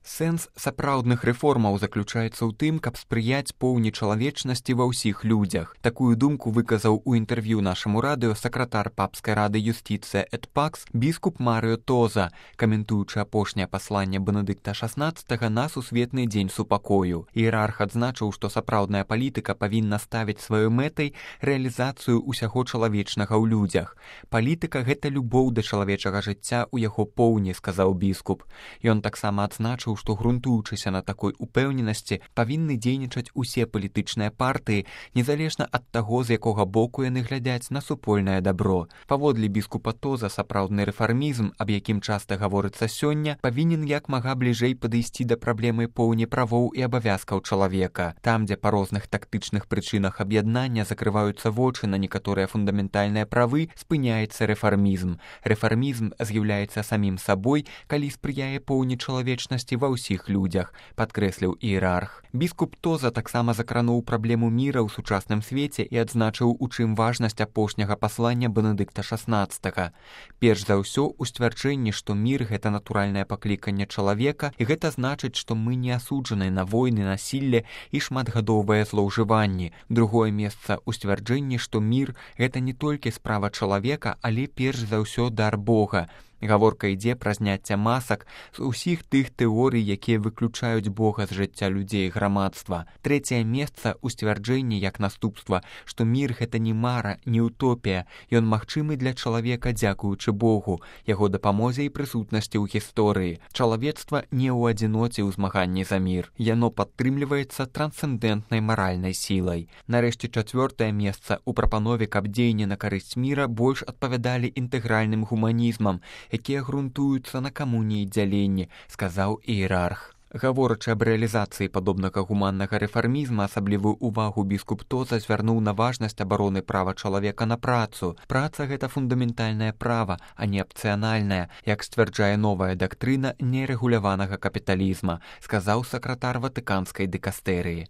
Сэнс сапраўдных рэформаў заключаецца ў тым, каб спрыяць поўні чалавечнасці ва ўсіх людзях. Такую думку выказаў у інтэрв'ю нашаму радыё сакратар папскай рады юстыцыя эт пакс біскуп Марыо Тоза, каментуючы апошняе пасланне Бенедыкта XVI на сусветны дзень супакою. Іерарх адзначыў, што сапраўдная палітыка павінна ставіць сваёй мэтай рэалізацыю ўсяго чалавечнага ў людзях. Палітыка — гэта любоў да чалавечага жыцця ў яго поўні, сказаў біскуп. Ён таксама адзначыў, што грунтуючыся на такой упэўненасці павінны дзейнічаць усе палітычныя партыі, незалежна ад таго, з якога боку яны глядяць на супольнае дабро. Паводле біскупа Тоза, сапраўдны рэфармізм, аб якім часта гаворыцца сёння, павінен як мага бліжэй падысці да праблемы поўні правоў і абавязкаў чалавека. Там, дзе па розных тактычных прычынах аб'яднання закрываюцца вочы на некаторыя фундаментальныя правы, спыняецца рэфармізм. Рэфармізм з'яўляецца самім сабой, калі спрыяе поўні чалавечнасці ва ўсіх людзях, падкрэсліў іерарх. Біскуп Тоза таксама закрануў праблему міра ў сучасным свеце і адзначыў, у чым важнасць апошняга паслання Бенедыкта XVI. Перш за ўсё, у сцвярджэнні, што мір — гэта натуральнае пакліканне чалавека, і гэта значыць, што мы не асуджаны на войны, насілле і шматгадовыя злоўжыванні. Другое месца ў сцвярджэнні, што мір — гэта не толькі справа чалавека, але перш за ўсё дар Бога. Гаворка ідзе пра зняцце масак з усіх тых тэорый, якія выключаюць Бога з жыцця людзей і грамадства. Трэцяе месца ў сцвярджэнні як наступства, што мір — гэта не мара, не утопія. Ён магчымы для чалавека дзякуючы Богу, яго дапамозе і прысутнасці ў гісторыі. Чалавецтва не ў адзіноце ў змаганні за мір. Яно падтрымліваецца трансцэндэнтнай маральнай сілай. Нарэшце, чацвёртае месца ў прапанове, каб дзеянні на карысць міра больш адпавядалі інтэгральным гуманізмам, якія грунтуюцца на камуніі і дзяленні, сказаў іерарх. Гаворачы аб рэалізацыі падобнага гуманнага рэфармізма, асаблівую ўвагу біскуп Тоза звярнуў на важнасць абароны права чалавека на працу. Праца — гэта фундаментальнае права, а не апцыянальнае, як сцвярджае новая дактрына нерэгуляванага капіталізма, сказаў сакратар ватыканскай дыкастэрыі.